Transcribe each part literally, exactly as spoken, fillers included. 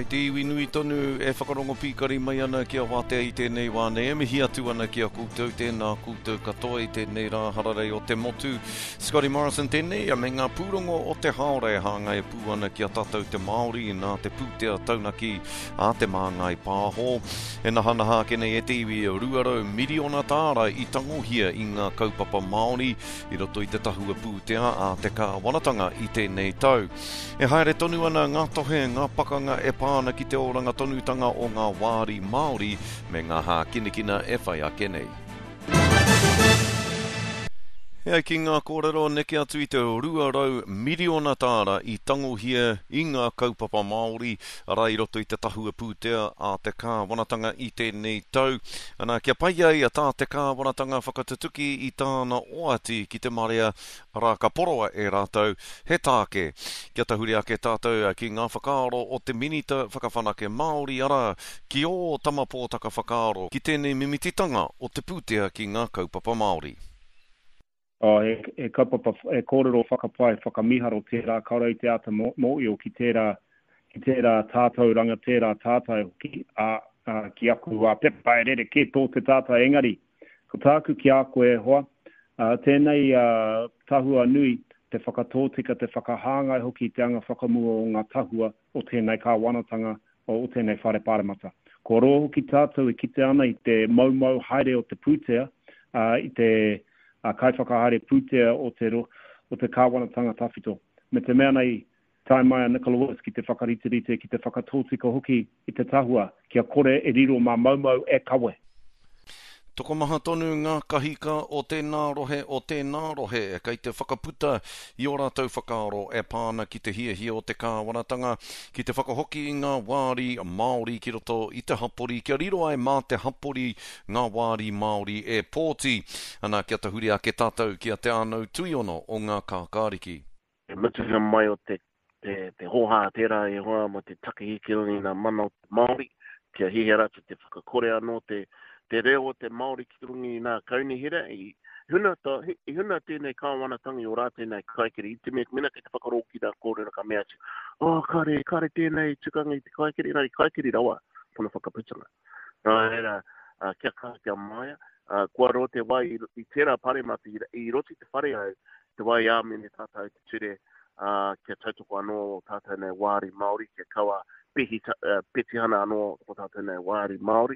Kei te iwi nui tonu e whakarongo pīkari mai ana ki a Wātea i tēnei wā nei. E mihi atu ana ki a koutou, tēnā koutou katoa i tēnei rā hararei o te motu. Scotty Morrison tēnei, me ngā pūrongo o te haora e hāngai pū ana ki a tātou te Māori nā te pūtea taunaki a Te Māngai Pāho. E nahanaha ake nei e te iwi rua rau miriona tāra i tangohia i ngā kaupapa Māori i roto i te tahua pūtea a te kāwanatanga i tēnei tau. E haere tonu ana ngā tohe, ngā pakanga e pā ana ki te oranga tonutanga o ngā wāri Māori me ngā hākinakina e whai ake nei. E ai ki ngā kōrero neke atu i te rua rau miriona tāra i tangohia i ngā kaupapa Māori, arā i roto i te tahua pūtea a te kāwanatanga i tēnei tau. Ana, kia pai ai a tā te kāwanatanga whakatutuki i tāna oati ki te marea, arā ka poroa e rātou he tāke. Kia tahuri ake tātou ki ngā whakaaro o te Minita Whakawhanake Māori, arā, ki ō Tama Pōtaka whakaaro ki tēnei mimititanga o te pūtea ki ngā kaupapa Māori. Oh, he, he kaupapa, he kōrero whakapae, whakamiharo tērā, kāore i te āta mōhio ki tērā, ki tērā tātauranga, tērā tātai hoki, ā, ā, ki aku ā, pepa e rerekē tō te tātai engari. Ko tāku ki a koe e hoa, ā, tēnei ā, tahua nui, te whakatōtika, te whakahāngai hoki te anga whakamua o ngā tahua o tēnei kāwanatanga, o tēnei whare pāremata. Kua roa hoki tātou e kite ana i te moumou haere o te pūtea, ā, i te a kaiwhakahaere pūtea o te, o te kāwanatanga tawhito. Me te mea nei, tae mai a Nicola Willis ki te whakariterite, ki te whakatōtika hoki i te tahua, kia kore e riro mā moumou e kawe. Tokomaha tonu ngā kahika o tēnā rohe o tēnā rohe kei te whakaputa i ō rātou whakaaro e pā ana ki te hiahia o te kāwanatanga ki te whakahoki i ngā wāri Māori ki roto i te hapori kia riro ai mā te hapori ngā wāri Māori e pōti. Ana kia tahuri ake tātou ki a Te Ānau Tuiono o ngā Kākāriki. Te mutunga mai o te, te, te hōhā tērā e hoa mō te takihi ki runga i ngā mana o te Māori, kia hiahia rātou te whakakore anō te, te reo o te Māori ki runga i ngā kaunihera, i huna, ta, i huna tēnei kāwanatanga i o rātou nei kaikiri, i te mea, mena kei te whakarōki nā kōrero ka mea atu, oh, kare, kare tēnei tukanga i te kaikiri, nā, i kaikiri rawa tōna whakaputanga. Nā reira, uh, kia kaha, kia maia, uh, kua roa te wā i, i tērā paremata, i, i roto i te whare au, te wā i āmene tātou te ture, uh, kia tautoko anō tātou nei wāri Māori, kia kaua pehi, uh, petihana anō o tātou nei wāri Māori.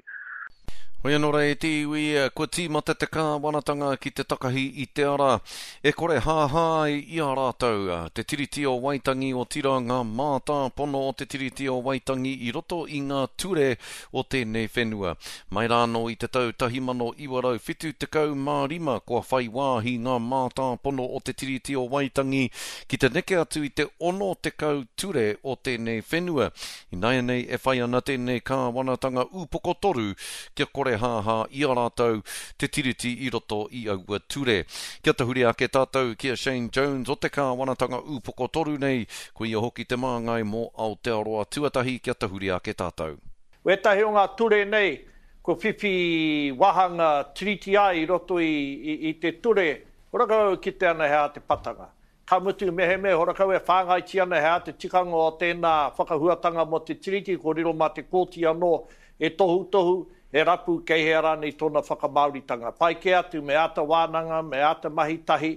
Hoi anō rā e te iwi, kua tīmata te kāwanatanga ki te takahi i te ara. E kore hāhā ai i a rātou te Tiriti o Waitangi otirā ngā mātāpono o te Tiriti o Waitangi i roto i ngā ture o tēnei whenua. Mai rānō i te tau tahi mano iwa rau whitu tekau mā rima kua whai wāhi ngā mātāpono o te Tiriti o Waitangi ki te neke atu i te ono tekau ture o tēnei whenua. Ināianei e whai ana tēnei kāwanatanga ūpoko toru kia kore hāhā i a rātou te tiriti i roto i aua ture. Kia tahuri ake tātou ki a Shane Jones o te kāwanatanga ūpoko toru nei, ko ia hoki te māngai mō Aotearoa tuatahi kia tahuri ake tātou. Wētahi o ngā ture nei, ko whiwhi wāhanga tiriti ai i roto i, i, i te ture, horakau ki te ana hea te patanga. Ka mutu mehemea horakau e whāngaiti ana hea te tikanga o tēnā whakahuatanga mō te tiriti, ko riro mā te kōti anō e tohutohu, e rapu kei hea rānei tōna whakamāoritanga. Pai kē atu me āta wānanga, me āta mahi tahi,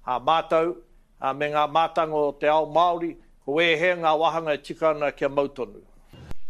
a mātou, a me ngā mātanga o te ao Māori, ko ēhea ngā wāhanga e tika ana kia mau tonu.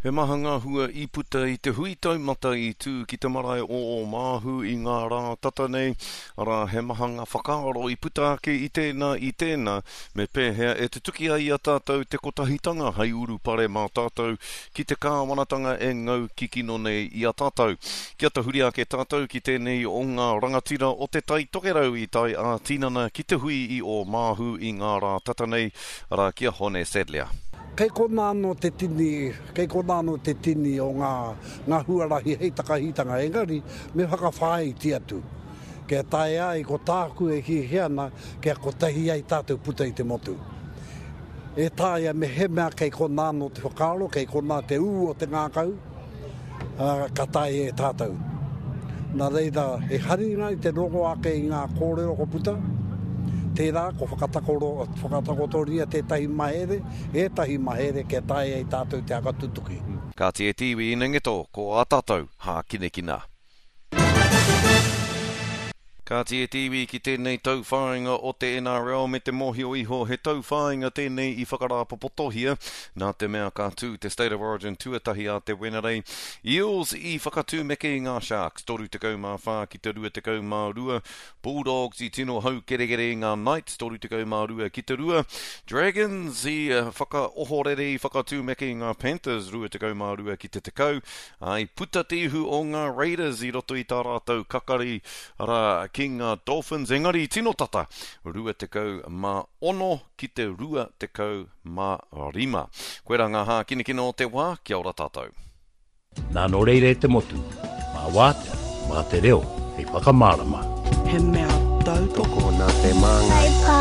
He maha ngā hua i puta i te hui taumata i tū ki te marae o Ōmāhu i ngā rā tata nei, arā he maha ngā whakaaro i puta ake i tēnā i tēnā, me pēhea e tutuki ai i a tātou te kotahitanga hei urupare mā tātou ki te kāwanatanga e ngau kikino nei i a tātou. Kia tahuri ake tātou ki tēnei o ngā rangatira o te Tai Tokerau i tae ā-tinana ki te hui i Ōmāhu i ngā rā tata nei, arā ki a Hone Sadlier. Kei kona anō te tini, kei kona anō te tini o ngā, ngā huarahi hei takahitanga, engari me whakawhāiti atu. Kia tae ai ko tāku e hiahia ana, kia kotahi ai tātou puta i te motu. E taea me he mea kei kona anō te whakaaro, kei kona te ū o te ngākau, uh, ka tae e tātou. Nā reira, e haringa i te rongo ake i ngā kōrero ko puta, Tērā, ko whakatakoro, whakatakotoria tētahi mahere, ētahi mahere kia taea ai tātou te whakatutuki. Kāti e te iwi inengeto, ko ā tātou hākinakina. Kāti e te iwi ki tēnei tauwhāinga o te N R L me te mōhio iho he tauwhāinga tēnei i whakarāpopotohia nā te mea ka tū te State of Origin tuatahi a te Wenerei. Eels i whakatūmeke i ngā Sharks toru tekau mā whā ki te rua tekau mā rua. Bulldogs i tino haukerekere i ngā Knights toru tekau mā rua ki te rua. Dragons i whakaohorere, i whakatūmeke i ngā Panthers rua tekau mā rua ki te tekau. Ai puta te ihu o ngā Raiders i roto i tā rātou kakari arā ki ngā Dolphins, engari tino tata rua tekau mā ono ki te rua tekau mā rima. Koera ngā hākinakina o te wā, kia ora tātou. Nā nō reira e te motu, mā wātea, mā te reo, hei whakamārama. He mea tautoko. Tokona te māngai.